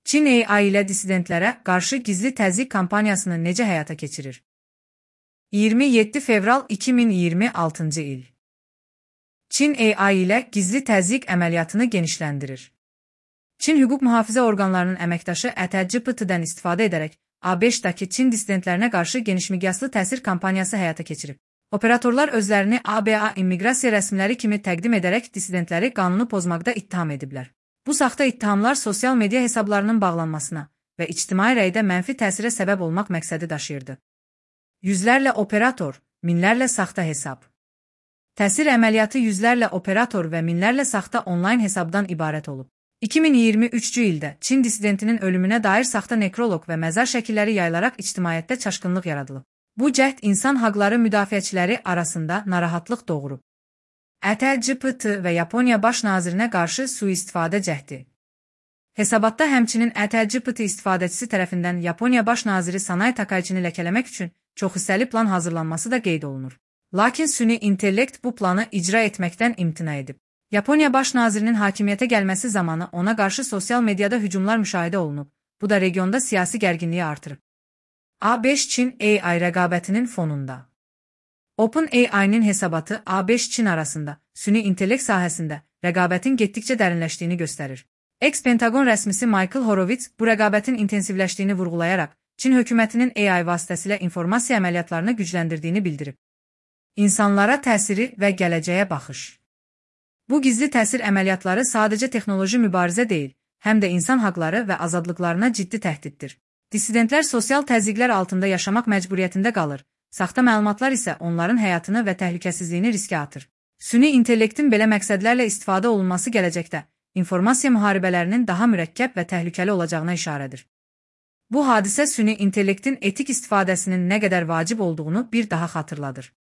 Çin AI ilə dissidentlərə qarşı gizli təzyiq kampaniyasını necə həyata keçirir? 27 fevral 2026-cı il. Çin AI ilə gizli təzyiq əməliyyatını genişləndirir. Çin hüquq mühafizə orqanlarının əməkdaşı ChatGPT-dən istifadə edərək ABŞ-dakı Çin dissidentlərinə qarşı genişmiqyaslı təsir kampaniyası həyata keçirib. Operatorlar özlərini ABA immiqrasiya rəsmiləri kimi təqdim edərək dissidentləri qanunu pozmaqda ittiham ediblər. Bu saxta ittihamlar sosial media hesablarının bağlanmasına və ictimai rəydə mənfi təsirə səbəb olmaq məqsədi daşıyırdı. Yüzlərlə operator, minlərlə saxta hesab. Təsir əməliyyatı yüzlərlə operator və minlərlə saxta onlayn hesabdan ibarət olub. 2023-cü ildə Çin dissidentinin ölümünə dair saxta nekroloq və məzar şəkilləri yayılaraq ictimaiyyətdə çaşqınlıq yaradılıb. Bu cəhd insan haqları müdafiəçiləri arasında narahatlıq doğurub. ChatGPT və Yaponiya baş nazirinə qarşı sui-istifadə cəhdi. Hesabatda həmçinin ChatGPT istifadəçisi tərəfindən Yaponiya baş naziri Sanai Takaichini ləkələmək üçün çoxhissəli plan hazırlanması da qeyd olunur. Lakin süni intellekt bu planı icra etməkdən imtina edib. Yaponiya baş nazirinin hakimiyyətə gəlməsi zamanı ona qarşı sosial mediada hücumlar müşahidə olunub. Bu da regionda siyasi gərginliyi artırıb. A5-Çin AI rəqabətinin fonunda. OpenAI-nin hesabatı A5-Çin arasında süni intellekt sahəsində rəqabətin getdikcə dərinləşdiyini göstərir. Ex-Pentagon rəsmisi Michael Horowitz bu rəqabətin intensivləşdiyini vurğulayaraq Çin hökumətinin AI vasitəsilə informasiya əməliyyatlarını gücləndirdiyini bildirib. İnsanlara təsiri və gələcəyə baxış. Bu gizli təsir əməliyyatları sadəcə texnoloji mübarizə deyil, həm də insan haqları və azadlıqlarına ciddi təhdiddir. Dissidentlər sosial təzyiqlər altında yaşamaq məcburiyyətində qalır, saxta məlumatlar isə onların həyatını və təhlükəsizliyini riskə atır. Süni intellektin belə məqsədlərlə istifadə olunması gələcəkdə informasiya müharibələrinin daha mürəkkəb və təhlükəli olacağına işarədir. Bu hadisə süni intellektin etik istifadəsinin nə qədər vacib olduğunu bir daha xatırladır.